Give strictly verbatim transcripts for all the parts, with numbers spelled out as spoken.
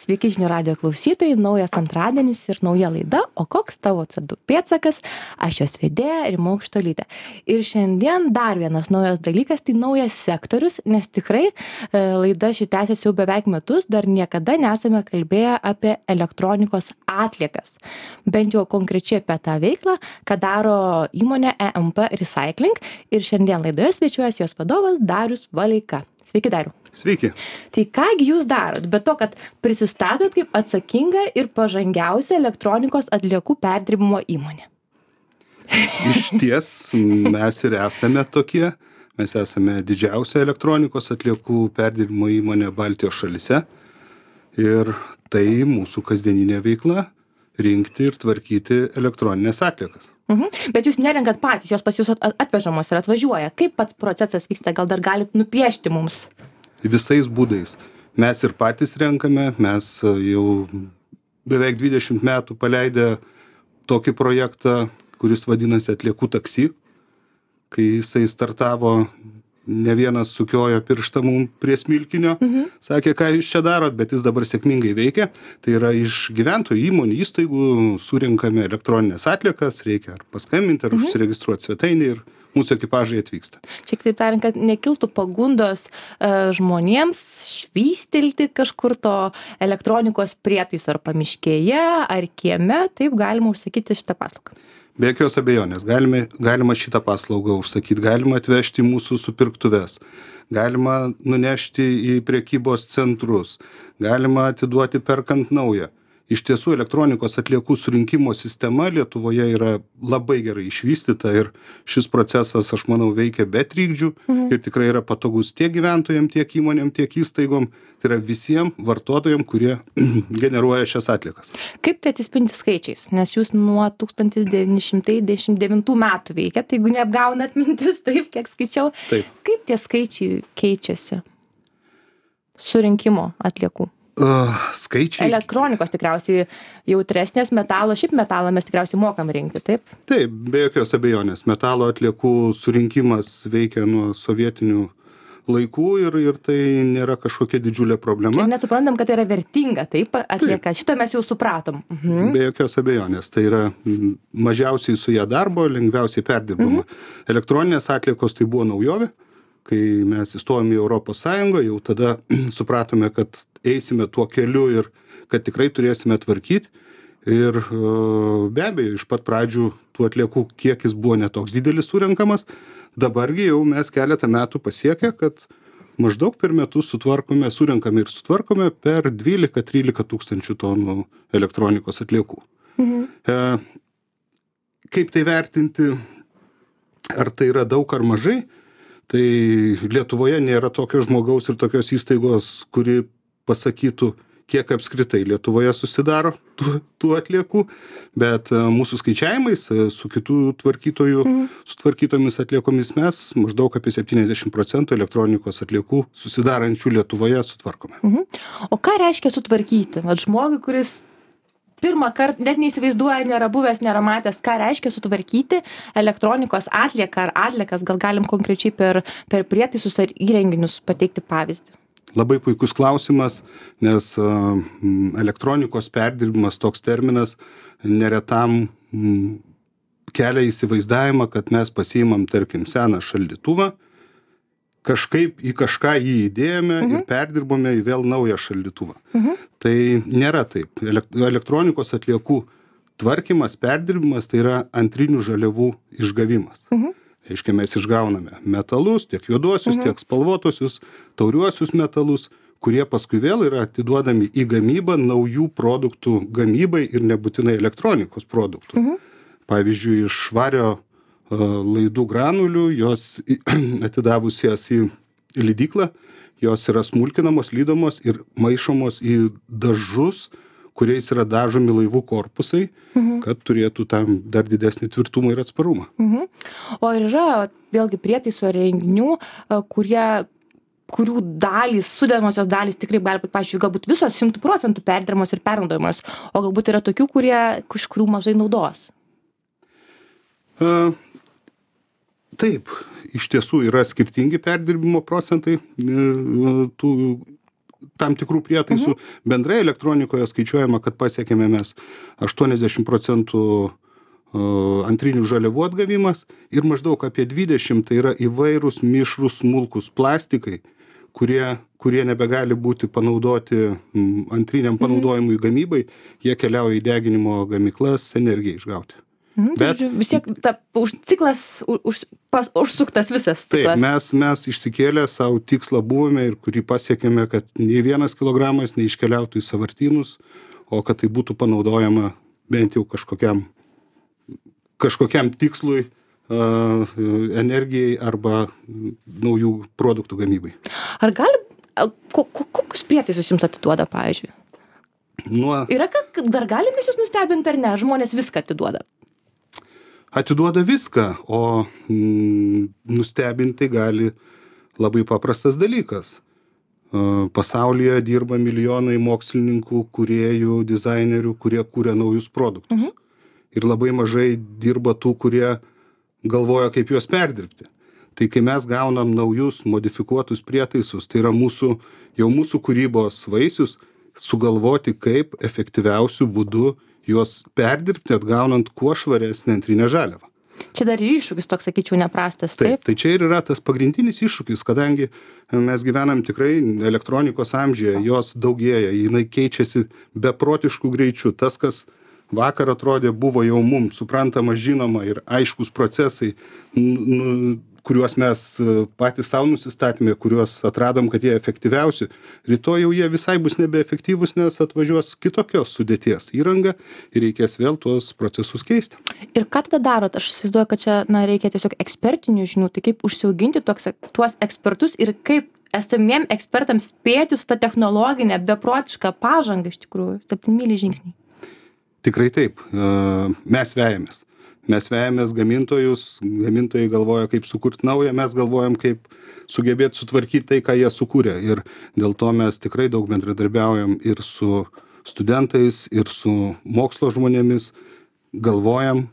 Sveiki žinių radijo klausytojai, naujas antradienis ir nauja laida, o koks tavo C O du pėdsakas, aš jos vedėja Rima Aukštuolytė. Ir šiandien dar vienas naujas dalykas, tai naujas sektorius, nes tikrai e, laida ši tęsiasi jau beveik metus, dar niekada nesame kalbėję apie elektronikos atliekas. Bent jau konkrečiai apie tą veiklą, ką daro įmonė E M P Recycling ir šiandien laidoje svečiuojasi jos vadovas Darius Valeika. Sveiki, Dariu. Sveiki. Tai kągi jūs darot, bet to, kad prisistatot kaip atsakinga ir pažangiausia elektronikos atliekų perdirbimo įmonė? Iš ties mes ir esame tokie. Mes esame didžiausia elektronikos atliekų perdirbimo įmonė Baltijos šalyse. Ir tai mūsų kasdieninė veikla - rinkti ir tvarkyti elektroninės atliekas. Mhm. Bet jūs nerenkat patys, jos pas jūs atvežamos ir atvažiuoja. Kaip pats procesas vyksta, gal dar galit nupiešti mums? Visais būdais. Mes ir patys renkame, mes jau beveik dvidešimt metų paleidę tokį projektą, kuris vadinasi atliekų taksi. Kai jisai startavo, ne vienas sukiojo pirštą mum prie smilkinio, mhm. sakė, ką jūs čia darot, bet jis dabar sėkmingai veikia. Tai yra iš gyventojų įmonių įstaigų surinkame elektroninės atliekas, reikia ar paskambinti, ar mhm. užsiregistruoti svetainį ir mūsų ekipažai atvyksta. Čia kitaip tariant, kad nekiltų pagundos uh, žmonėms švystelti kažkur to elektronikos prietaiso ar pamiškėje, ar kieme, taip galima užsakyti šitą paslaugą. Be jokios abejonės, galime, galima šitą paslaugą užsakyti, galima atvežti į mūsų supirktuves, galima nunešti į prekybos centrus, galima atiduoti perkant naują. Iš tiesų, elektronikos atliekų surinkimo sistema Lietuvoje yra labai gerai išvystyta ir šis procesas, aš manau, veikia be trikdžių mhm. ir tikrai yra patogus tiek gyventojams, tiek įmonėm, tiek įstaigom. Tai yra visiems vartotojams, kurie generuoja šias atliekas. Kaip tai atsispindi skaičiais? Nes jūs nuo tūkstantis devyni šimtai devyniasdešimt devintų metų veikiat, tai jeigu neapgaunat mintis, taip, kiek skaičiau. Taip. Kaip tie skaičiai keičiasi surinkimo atliekų? Uh, skaičiai. Elektronikos tikriausiai jautresnės, metalo, šiaip metalą mes tikriausiai mokam rinkti, taip? Taip, be jokios abejonės. Metalo atliekų surinkimas veikia nuo sovietinių laikų ir, ir tai nėra kažkokia didžiulė problema. Ir net suprantam, kad tai yra vertinga, taip, atlieka. Taip. Šitą mes jau supratom. Mhm. Be jokios abejonės. Tai yra mažiausiai su ją darbo, lengviausiai perdirbama. Mhm. Elektroninės atliekos tai buvo naujovė. Kai mes įstojome į Europos Sąjungą, jau tada supratome, kad eisime tuo keliu ir kad tikrai turėsime tvarkyti. Ir be abejo, iš pat pradžių tų atliekų kiekis buvo netoks didelis surenkamas. Dabargi jau mes keletą metų pasiekę, kad maždaug per metus sutvarkome, surenkame ir sutvarkome per dvylika trylika tūkstančių tonų elektronikos atliekų. Mhm. E, kaip tai vertinti, ar tai yra daug ar mažai? Tai Lietuvoje nėra tokio žmogaus ir tokios įstaigos, kuri pasakytų, kiek apskritai Lietuvoje susidaro tų, tų atliekų, bet mūsų skaičiavimais su kitų tvarkytojų, mm. su tvarkytomis atliekomis mes maždaug apie septyniasdešimt procentų elektronikos atliekų susidarančių Lietuvoje sutvarkome. Mhm. O ką reiškia sutvarkyti? Vat žmogui, kuris pirmą kartą net neįsivaizduoja, nėra buvęs, nėra matęs, ką reiškia sutvarkyti elektronikos atlieką ar atliekas, gal galim konkrečiai per, per prietaisus ar įrenginius pateikti pavyzdį? Labai puikus klausimas, nes uh, elektronikos perdirbimas toks terminas neretam um, kelia įsivaizdavimą, kad mes pasiimam, tarkim, seną šaldytuvą, kažkaip į kažką jį įdėjome mhm. ir perdirbome į vėl naują šaldytuvą. Mhm. Tai nėra taip. Elektronikos atliekų tvarkymas, perdirbimas tai yra antrinių žaliavų išgavimas. Mhm. Reiškia, mes išgauname metalus, tiek juoduosius, mhm. tiek spalvotuosius, tauriuosius metalus, kurie paskui vėl yra atiduodami į gamybą naujų produktų gamybai ir nebūtinai elektronikos produktų. Mhm. Pavyzdžiui, iš švario laidų granulių, jos atidavus jas į lydyklą, jos yra smulkinamos, lydomos ir maišomos į dažus, kuriais yra dažomi laivų korpusai, mhm. kad turėtų tam dar didesnį tvirtumą ir atsparumą. Mhm. O yra vėlgi prietaiso renginių, kurie kurių dalys, sudedamosios dalys tikrai gali būti, pavyzdžiui, galbūt visos šimtų procentų perdirbamos ir pernaudojamos, o galbūt yra tokių, kurie, iš kurių mažai naudos. Uh, taip, iš tiesų yra skirtingi perdirbimo procentai uh, tų tam tikrų prietaisų. Mhm. Bendrai elektronikoje skaičiuojama, kad pasiekėme mes aštuoniasdešimt procentų antrinių žaliavų atgavimas ir maždaug apie dvidešimt tai yra įvairūs mišrūs smulkūs plastikai, kurie, kurie nebegali būti panaudoti antriniam panaudojimui gamybai, jie keliauja į deginimo gamyklas energijai išgauti. Mm, Bet žodžiu, vis tiek ta, už, ciklas už, pas, užsuktas visas ciklas. Taip, mes, mes išsikėlę savo tikslą buvome ir kurį pasiekėme, kad nei vienas kilogramas neiškeliautų į sąvartynus, o kad tai būtų panaudojama bent jau kažkokiam kažkokiam tikslui, uh, energijai arba naujų produktų gamybai. Ar gali, ko, ko, kokius prietaisus jums atiduoda, pavyzdžiui? Nuo... Yra, kad dar galime jūs nustebinti ar ne? Žmonės viską atiduoda. Atiduoda viską, o mm, nustebinti gali labai paprastas dalykas. Uh, pasaulyje dirba milijonai mokslininkų, kūrėjų, dizainerių, kurie kūrė naujus produktus. Mhm. Ir labai mažai dirba tų, kurie galvoja, kaip juos perdirbti. Tai kai mes gaunam naujus modifikuotus prietaisus, tai yra mūsų, jau mūsų kūrybos vaisius, sugalvoti, kaip efektyviausių būdų juos perdirbti, atgaunant kuo švaresnę antrinę žaliavą. Čia dar ir iššūkis toks, sakyčiau, neprastas, taip? Taip, tai čia ir yra tas pagrindinis iššūkis, kadangi mes gyvenam tikrai elektronikos amžiuje, jos daugėja, jinai keičiasi beprotiškų greičių. Tas, kas vakar atrodė buvo jau mums suprantama, žinoma ir aiškus procesai, nu, kuriuos mes patys savo nusistatėme, kuriuos atradom, kad jie efektyviausi. Rytoj jau jie visai bus nebeefektyvūs, nes atvažiuos kitokios sudėties įranga ir reikės vėl tuos procesus keisti. Ir ką tada darot? Aš įsivaizduoju, kad čia na, reikia tiesiog ekspertinių žinių, tai kaip užsiauginti toks, tuos ekspertus ir kaip esamiem ekspertams spėti su ta technologinė beprotiška pažanga iš tikrųjų, septynmyliai žingsniai. Tikrai taip. Mes vejamės. Mes vejamės gamintojus, gamintojai galvoja, kaip sukurti naują, mes galvojam, kaip sugebėti sutvarkyti tai, ką jie sukūrė. Ir dėl to mes tikrai daug bendradarbiaujam ir su studentais, ir su mokslo žmonėmis, galvojam,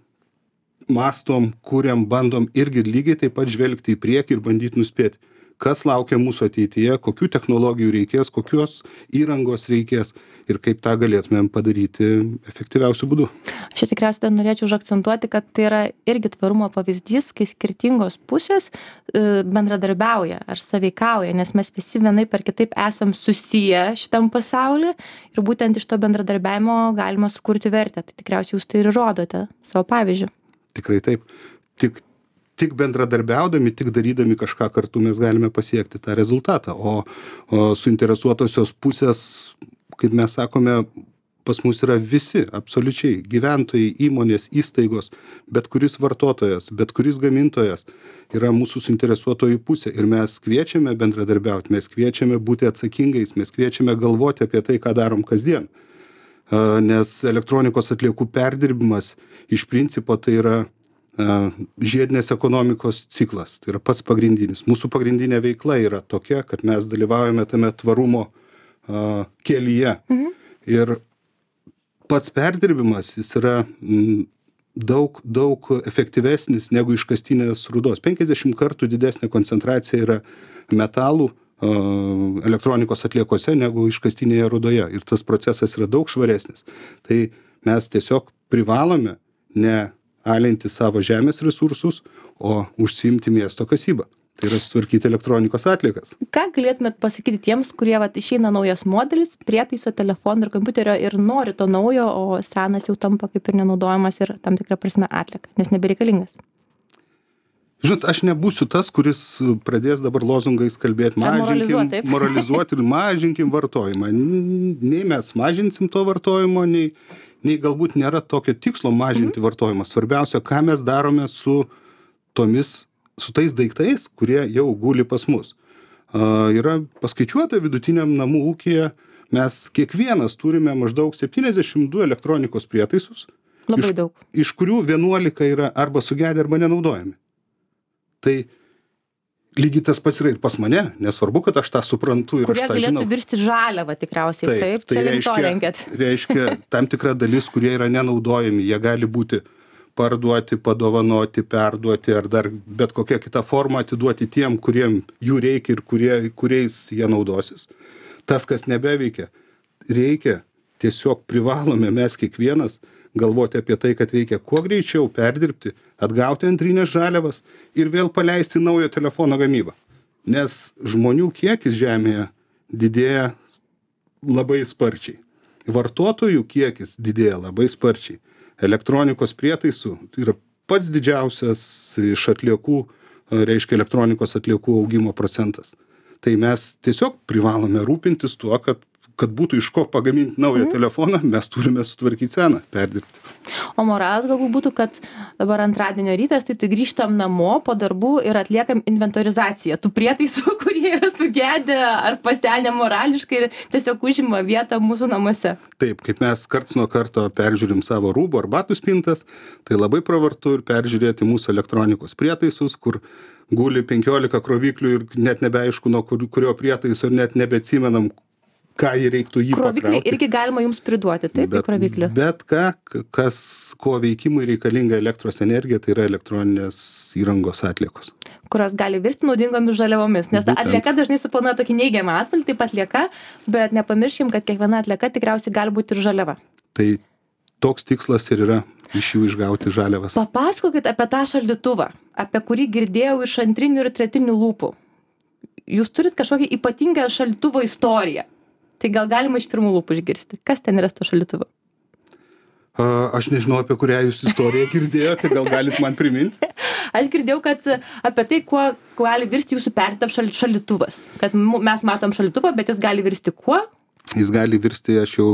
mastom, kuriam, bandom irgi lygiai taip pat žvelgti į priekį ir bandyti nuspėti, kas laukia mūsų ateityje, kokių technologijų reikės, kokios įrangos reikės ir kaip tą galėtumėm padaryti efektyviausiu būdu. Aš tikriausiai dar norėčiau užakcentuoti, kad tai yra irgi tvarumo pavyzdys, kai skirtingos pusės bendradarbiauja ar sąveikauja, nes mes visi vienaip ar kitaip esam susiję šitam pasauly ir būtent iš to bendradarbiavimo galima sukurti vertę. Tai tikriausiai jūs tai ir rodote savo pavyzdžiu. Tikrai taip. Tik Tik bendradarbiaudami, tik darydami kažką kartu mes galime pasiekti tą rezultatą. O, o suinteresuotosios pusės, kaip mes sakome, pas mus yra visi, absoliučiai, gyventojai, įmonės, įstaigos, bet kuris vartotojas, bet kuris gamintojas yra mūsų suinteresuotojų pusė. Ir mes kviečiame bendradarbiauti, mes kviečiame būti atsakingais, mes kviečiame galvoti apie tai, ką darom kasdien. Nes elektronikos atliekų perdirbimas iš principo tai yra žiedinės ekonomikos ciklas, tai yra pats pagrindinis. Mūsų pagrindinė veikla yra tokia, kad mes dalyvaujame tame tvarumo uh, kelyje. Mhm. Ir pats perdirbimas, jis yra m, daug, daug efektyvesnis negu iškastinės rūdos. penkiasdešimt kartų didesnė koncentracija yra metalų uh, elektronikos atliekose negu iškastinėje rūdoje. Ir tas procesas yra daug švaresnis. Tai mes tiesiog privalome ne alinti savo žemės resursus, o užsiimti miesto kasybą. Tai yra sutvarkyti elektronikos atliekas. Ką galėtumėt pasakyti tiems, kurie vat, išeina naujas modelis, prietaiso, telefono ir kompiuterio ir nori to naujo, o senas jau tampa kaip ir nenaudojamas ir tam tikrą prasme atlieka, nes nebereikalingas? Žinot, aš nebūsiu tas, kuris pradės dabar lozungais kalbėti, mažinkim, moralizuoti ir mažinkim vartojimą. Nei mes mažinsim to vartojimo, nei nei galbūt nėra tokio tikslo mažinti mhm. vartojimą. Svarbiausia, ką mes darome su tomis, su tais daiktais, kurie jau guli pas mus. Uh, yra paskaičiuota vidutiniam namų ūkyje, mes kiekvienas turime maždaug septyniasdešimt du elektronikos prietaisus. Labai iš, daug. Iš kurių vienuolika yra arba sugedę, arba nenaudojami. Tai lygiai tas pats yra ir pas mane, nesvarbu, kad aš tą suprantu ir kurie aš tą žinau. Kurie galėtų virsti žaliavą tikriausiai, taip, taip tai čia link to reiškia, lenkėt. reiškia tam tikra dalis, kurie yra nenaudojami, jie gali būti parduoti, padovanoti, perduoti ar dar bet kokia kita forma atiduoti tiem, kuriem jų reikia ir kurie, kuriais jie naudosis. tas, kas nebeveikia. Reikia, tiesiog privalome mes kiekvienas galvoti apie tai, kad reikia kuo greičiau perdirbti, atgauti antrinės žaliavas ir vėl paleisti naujo telefono gamybą. Nes žmonių kiekis Žemėje didėja labai sparčiai. Vartotojų kiekis didėja labai sparčiai. Elektronikos prietaisų tai yra pats didžiausias iš atliekų, reiškia elektronikos atliekų augimo procentas. Tai mes tiesiog privalome rūpintis tuo, kad, kad būtų iš ko pagaminti naują mm. telefoną, mes turime sutvarkyti seną, perdirbti. O moralas galbūt būtų, kad dabar antradienio rytas, taip tai grįžtam namo po darbų ir atliekam inventorizaciją tų prietaisų, kurie yra sugedę ar pasenę morališkai ir tiesiog užima vietą mūsų namuose. Taip, kaip mes karts nuo karto peržiūrim savo rūbų ar batų spintas, tai labai pravartu ir peržiūrėti mūsų elektronikos prietaisus, kur guli penkiolika kroviklių ir net nebeaišku, nuo kurio prietaiso ir net nebeatsimenam, ką jį reiktų jį pakrauti. Kroviklį irgi galima jums priduoti, taip, bet, kroviklį? Bet ką, kas, ko veikimui reikalinga elektros energija, tai yra elektroninės įrangos atliekos. Kurios gali virsti naudingomis žaliavomis, nes Būtent. atlieka dažnai suponuoja tokį neigiamą atspalvį, taip atlieka, bet nepamirškim, kad kiekviena atlieka tikriausiai gali būti ir žaliava. Tai toks tikslas ir yra iš jų išgauti žaliavas. Papasakokit apie tą šaldytuvą, apie kurį girdėjau iš antrinių ir tretinių lūpų. Jūs turit kažkokią ypatingą šaldytuvo istoriją. Tai gal galima iš pirmų lūpų išgirsti. Kas ten yra su šaldytuvu? Aš nežinau, apie kurią jūs istoriją girdėjote, gal galit man priminti? Aš girdėjau, kad apie tai, kuo gali virsti jūsų perdirbtas šaldytuvas. Kad mes matom šaldytuvą, bet jis gali virsti kuo? Jis gali virsti, aš jau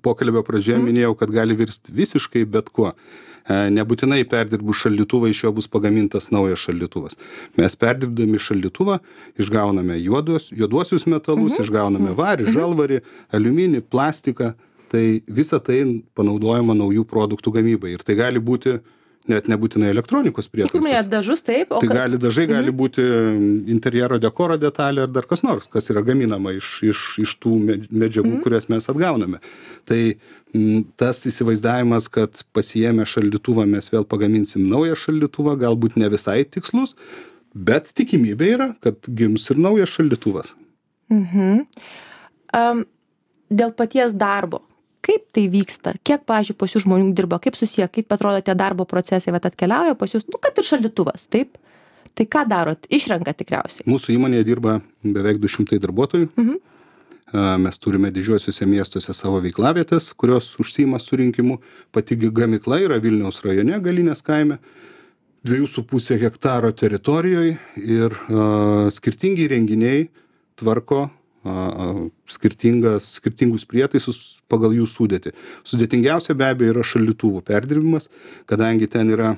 pokalbio pradžioje mm. minėjau, kad gali virsti visiškai bet kuo. Nebūtinai perdirbus šaldytuvą, iš jo bus pagamintas naujas šaldytuvas. Mes perdirbdami šaldytuvą išgauname juodus, juoduosius metalus, mm-hmm. išgauname varį, žalvarį, aliuminį, plastiką. Tai visa tai panaudojama naujų produktų gamybai. Ir tai gali būti net nebūtinai elektronikos prietaisas. Dažus, taip. O tai kad... gali, dažai gali mm-hmm. būti interjero dekoro detalė ar dar kas nors, kas yra gaminama iš, iš, iš tų medžiagų, mm-hmm. kurias mes atgauname. Tai m, tas įsivaizdavimas, kad pasiėmę šaldytuvą mes vėl pagaminsim naują šaldytuvą, galbūt ne visai tikslus, bet tikimybė yra, kad gims ir naujas šaldytuvas. Mhm. Um, dėl paties darbo. Kaip tai vyksta? Kiek, pavyzdžiui, pas jūs žmonių dirba? Kaip susiję? Kaip atrodo tie darbo procesai? Vat atkeliauja pas jūs, nu, kad ir šaldytuvas, taip? Tai ką darot? Išrenka tikriausiai. Mūsų įmonėje dirba beveik du šimtai darbuotojų. Mhm. Mes turime didžiuosiuose miestuose savo veiklavietės, kurios užsiima surinkimu. Pati gamykla yra Vilniaus rajone, Galinės kaime, dviejų su pusė hektaro teritorijoje ir uh, skirtingi renginiai tvarko skirtingas, skirtingus prietaisus pagal jų sudėtį. Sudėtingiausia be abejo yra šaldytuvų perdirbimas, kadangi ten yra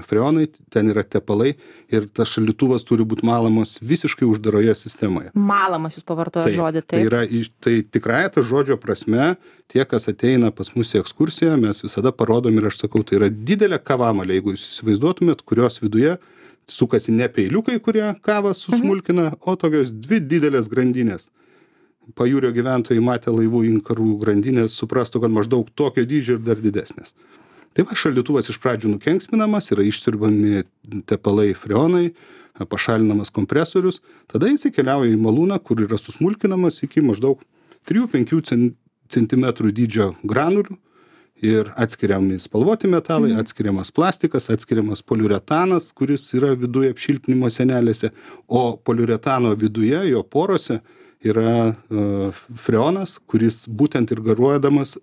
freonai, ten yra tepalai ir tas šaldytuvas turi būti malamas visiškai uždaroje sistemoje. Malamas jūs pavartojo žodį, taip? Tai yra, tai tikrąja ta žodžio prasme, tie, kas ateina pas mus į ekskursiją, mes visada parodom ir aš sakau, tai yra didelė kavamalė, jeigu jūs įsivaizduotumėt, kurios viduje sukasi ne peiliukai, kurie kavą susmulkina, mhm. o tokios dvi didelės grandinės. Pajūrio gyventojai matę laivų inkarų grandinės, suprastų, kad maždaug tokio dydžio ir dar didesnės. Tai va, šaldytuvas iš pradžių nukenksminamas, yra išsiurbami tepalai freonai, pašalinamas kompresorius, tada jis keliauja į malūną, kur yra susmulkinamas iki maždaug trijų penkių centimetrų dydžio granulių. Ir atskiriami spalvoti metalai, mhm. atskiriamas plastikas, atskiriamas poliuretanas, kuris yra viduje apšiltinimo sienelėse, o poliuretano viduje, jo porose, yra uh, freonas, kuris būtent ir garuodamas,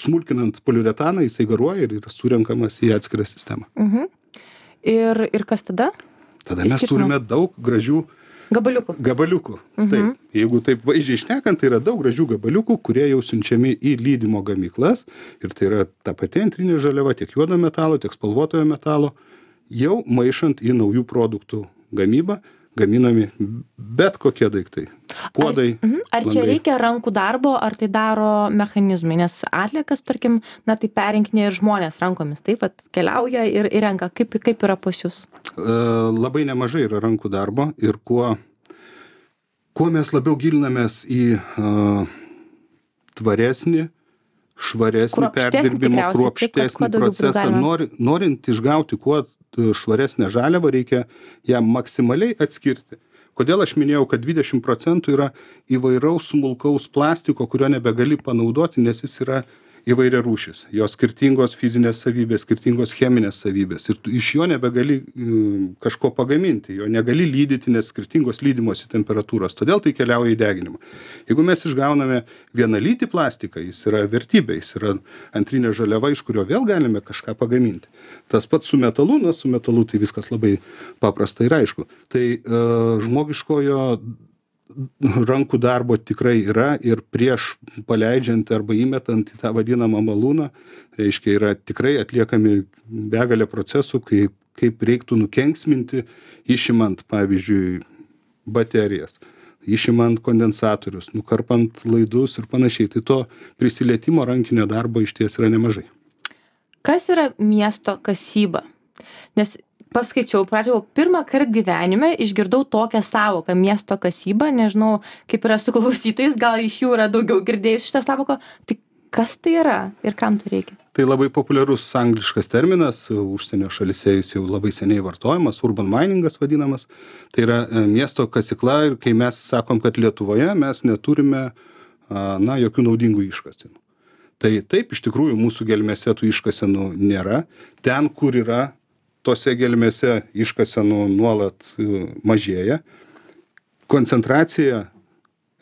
smulkinant poliuretaną, jisai garuoja ir yra surenkamas į atskirą sistemą. Mhm. Ir, ir kas tada? Tada mes Iškirtinam. turime daug gražių Gabaliukų. Gabaliukų. Mhm. Taip. Jeigu taip vaizdžiai šnekant, tai yra daug gražių gabaliukų, kurie jau siunčiami į lydymo gamyklas. Ir tai yra ta pati antrinė žaliava, tiek juodo metalo, tiek spalvotojo metalo, jau maišant į naujų produktų gamybą, gaminami bet kokie daiktai. Puodai. Ar, mhm. ar čia reikia rankų darbo, ar tai daro mechanizmai? Nes atliekas, tarkim, na tai perinkinė ir žmonės rankomis, taip pat keliauja ir, ir renka. Kaip, kaip yra pas jūs? Labai nemažai yra rankų darbo ir kuo, kuo mes labiau gilinamės į uh, tvaresnį, švaresnį perdirbimo, kruopštesnį procesą, nori, norint išgauti kuo švaresnę žaliavą, reikia ją maksimaliai atskirti. kodėl aš minėjau, kad dvidešimt procentų yra įvairaus smulkaus plastiko, kurio nebegali panaudoti, nes jis yra įvairia rūšis. Jo skirtingos fizinės savybės, skirtingos cheminės savybės. Ir tu iš jo nebegali kažko pagaminti, jo negali lydyti, nes skirtingos lydimosi temperatūros. Todėl tai keliauja į deginimą. Jeigu mes išgauname vienalytį plastiką, jis yra vertybė, jis yra antrinė žaliava, iš kurio vėl galime kažką pagaminti. Tas pats su metalu, na, su metalu tai viskas labai paprasta ir aišku. Tai uh, žmogiškojo rankų darbo tikrai yra ir prieš paleidžiant arba įmetant į tą vadinamą malūną, reiškia, yra tikrai atliekami begalė procesų, kaip, kaip reiktų nukenksminti, išimant, pavyzdžiui, baterijas, išimant kondensatorius, nukarpant laidus ir panašiai. Tai to prisilietimo rankinio darbo iš ties yra nemažai. Kas yra miesto kasyba? Nes paskaičiau, pradžiau, pirmą kartą gyvenime išgirdau tokią savoką miesto kasyba, nežinau, kaip yra su klausytojais, gal iš jų yra daugiau girdėjus šitą savoką, tai kas tai yra ir kam tai reikia? Tai labai populiarus angliškas terminas, užsienio šalyse jis jau labai seniai vartojamas, urban miningas vadinamas, tai yra miesto kasykla ir kai mes sakom, kad Lietuvoje mes neturime, na, jokių naudingų iškasenų. Tai taip, iš tikrųjų, mūsų gelmėse tų iškasenų nėra, ten, kur yra tose gelmėse iškasenų nuolat mažėja. Koncentracija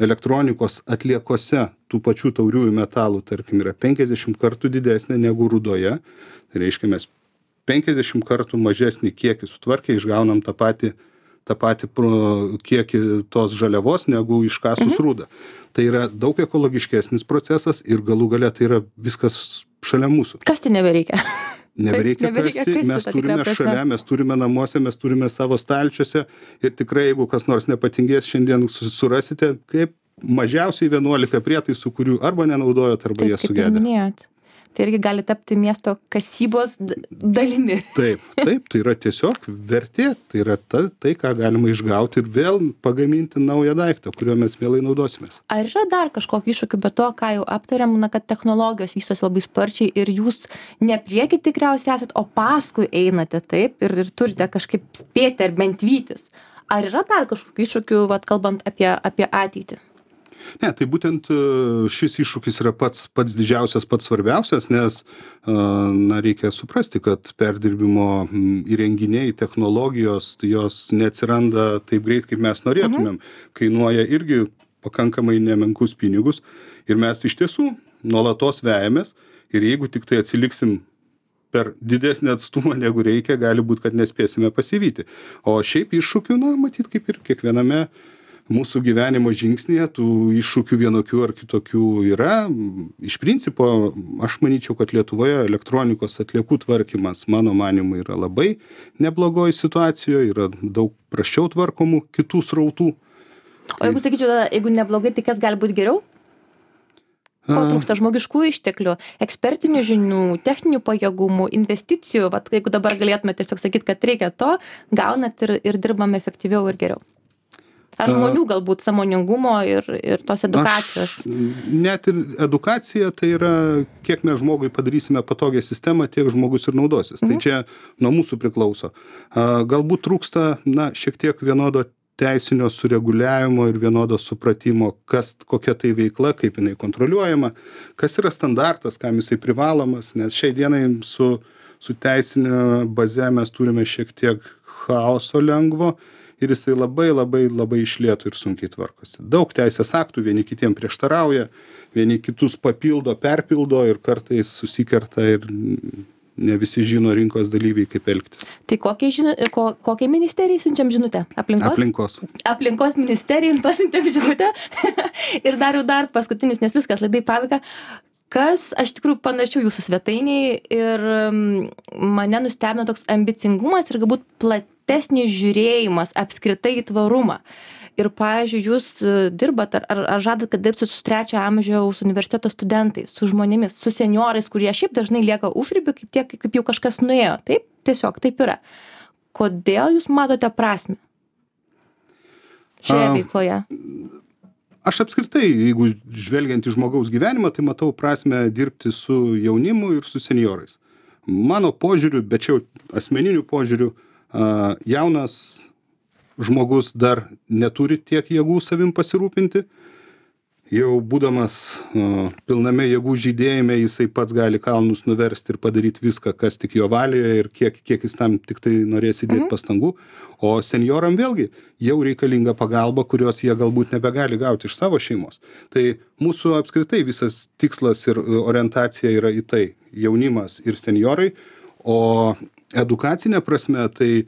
elektronikos atliekose tų pačių tauriųjų metalų, tarkim, yra penkiasdešimt kartų didesnė negu rudoje. Tai reiškia, mes penkiasdešimt kartų mažesnį kiekį sutvarkę išgaunam tą patį, tą patį kiekį tos žaliavos negu iškasus mhm. rudą. Tai yra daug ekologiškesnis procesas ir galų gale tai yra viskas šalia mūsų. Kas tai nebereikia? Nebereikia nebereikia kasti, kasti, mes turime šalia, mes turime namuose, mes turime savo stalčiuose ir tikrai, jeigu kas nors nepatingės, šiandien surasite kaip mažiausiai vienuolika prietaisų, kurių arba nenaudojot, arba jie sugedė. Tai irgi gali tapti miesto kasybos dalimi. Taip, taip, tai yra tiesiog vertė, tai yra ta, tai, ką galima išgauti ir vėl pagaminti naują daiktą, kuriuo mes vėlai naudosimės. Ar yra dar kažkokį iššūkį, be to, ką jau aptarėm, na, kad technologijos vystosi labai sparčiai ir jūs ne prieki tikriausiai esat, o paskui einate taip ir, ir turite kažkaip spėti ar bent vytis. Ar yra dar kažkokių iššūkių, vat, kalbant apie, apie ateitį? Ne, tai būtent šis iššūkis yra pats, pats didžiausias, pats svarbiausias, nes na, reikia suprasti, kad perdirbimo įrenginiai, technologijos, tai jos neatsiranda taip greit, kaip mes norėtumėm. Mhm. Kainuoja irgi pakankamai nemenkus pinigus ir mes iš tiesų nuolatos vejamės ir jeigu tik tai atsiliksim per didesnį atstumą negu reikia, gali būti, kad nespėsime pasivyti. O šiaip iššūkių, na, matyt, kaip ir kiekviename mūsų gyvenimo žingsnėje tų iššūkių vienokių ar kitokių yra. Iš principo, aš manyčiau, kad Lietuvoje elektronikos atliekų tvarkymas, mano manymu, yra labai neblogoj situacijoje, yra daug prasčiau tvarkomų kitų srautų. O jeigu sakyčiau, jeigu neblogai, tai kas gali būti geriau? Ko trūksta? Žmogiškų išteklių, ekspertinių žinių, techninių pajėgumų, investicijų. Vat, jeigu dabar galėtume tiesiog sakyti, kad reikia to, gaunat ir, ir dirbam efektyviau ir geriau. Ar žmonių galbūt sąmoningumo ir, ir tos edukacijos? Aš, net ir edukacija, tai yra, kiek mes žmogui padarysime patogią sistemą, tiek žmogus ir naudosis. Mhm. Tai čia nuo mūsų priklauso. Galbūt trūksta, na, šiek tiek vienodo teisinio sureguliavimo ir vienodo supratimo, kas, kokia tai veikla, kaip jinai kontroliuojama, kas yra standartas, kam jisai privalomas, nes šiai dienai su, su teisinė baze mes turime šiek tiek chaoso lengvo, ir jisai labai labai labai iš lėto ir sunkiai tvarkosi. Daug teisės aktų vieni kitiem prieštarauja, vieni kitus papildo, perpildo ir kartais susikerta ir ne visi žino rinkos dalyviai, kaip elgtis. Tai kokiai, žinu, ko, kokiai ministerijai siunčiam žinutę? Aplinkos? Aplinkos. Aplinkos ministerijai pasiuntėm žinutę. Ir dar jau dar paskutinis, nes viskas laidai pabaiga. Kas, aš tikrųjų panašiau jūsų svetainiai ir mane nustebino toks ambicingumas ir galbūt platesnis žiūrėjimas apskritai į tvarumą. Ir, pavyzdžiui, jūs dirbat ar, ar, ar žadat, kad dirbsit su trečio amžiaus universiteto studentais, su žmonėmis, su seniorais, kurie šiaip dažnai lieka užribiu, kaip, tiek, kaip jau kažkas nuėjo. Taip, tiesiog taip yra. Kodėl jūs matote prasmę šioje veikloje? Aš apskritai, jeigu žvelgiant į žmogaus gyvenimą, tai matau prasmę dirbti su jaunimu ir su seniorais. Mano požiūriu, bet čia asmeniniu požiūriu, jaunas žmogus dar neturi tiek jėgų savim pasirūpinti, jau būdamas uh, pilname jėgų žydėjime, jisai pats gali kalnus nuversti ir padaryti viską, kas tik jo valioje ir kiek, kiek jis tam tik tai norės įdėti mhm. pastangų. O senjoram vėlgi jau reikalinga pagalba, kurios jie galbūt nebegali gauti iš savo šeimos. Tai mūsų apskritai visas tikslas ir orientacija yra į tai - jaunimas ir senjorai, o edukacinė prasme tai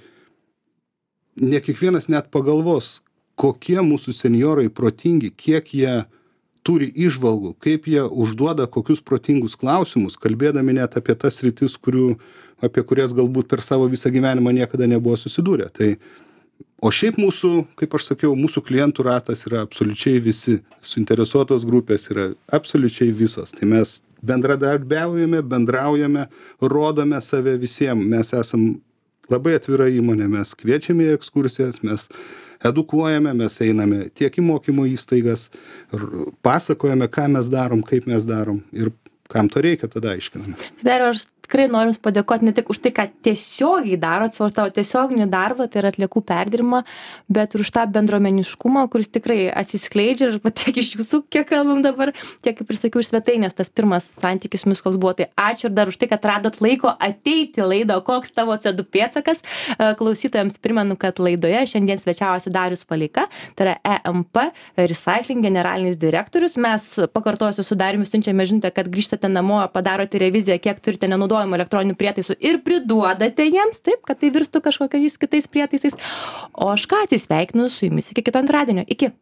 ne kiekvienas net pagalvos, kokie mūsų senjorai protingi, kiek jie turi įžvalgų, kaip jie užduoda kokius protingus klausimus, kalbėdami net apie tas sritis, kurių, apie kurias galbūt per savo visą gyvenimą niekada nebuvo susidūrę. Tai, o šiaip mūsų, kaip aš sakiau, mūsų klientų ratas yra absoliučiai visi, suinteresuotos grupės yra absoliučiai visos. Tai mes bendradarbiaujame, bendraujame, rodome save visiems. Mes esam labai atvira įmonė, mes kviečiame į ekskursijas, mes edukuojame, mes einame tiek į mokymo įstaigas, pasakojame, ką mes darom, kaip mes darom ir kam to reikia, tada aiškiname. Dar aš tikrai noriu Jums padėkoti ne tik už tai, ką tiesiogiai darot, savo tavo tiesioginį darbą, tai yra atliekų perdirbimą, bet ir už tą bendruomeniškumą, kuris tikrai atsiskleidžia ir tiek iš Jūsų, kiek kalbam dabar, tiek kaip ir sakiau iš svetainės, tas pirmas santykis mus koks buvo. Tai ačiū ir dar už tai, kad radot laiko ateiti laidą, koks tavo C O du pėdsakas. Klausytojams primenu, kad laidoje šiandien svečiavosi Darius Valeika, tai yra E M P Recycling generalinis direktorius. Mes, pakartosiu, su Dariumi siunčiame žinutę, kad grįžtate namo, padarote reviziją, kiek turite nenaudojamų elektroninių prietaisų ir priduodate jiems, taip, kad tai virstų kažkokiais kitais prietaisais. O aš ką atsisveikinu su Jumis iki kito antradienio. Iki.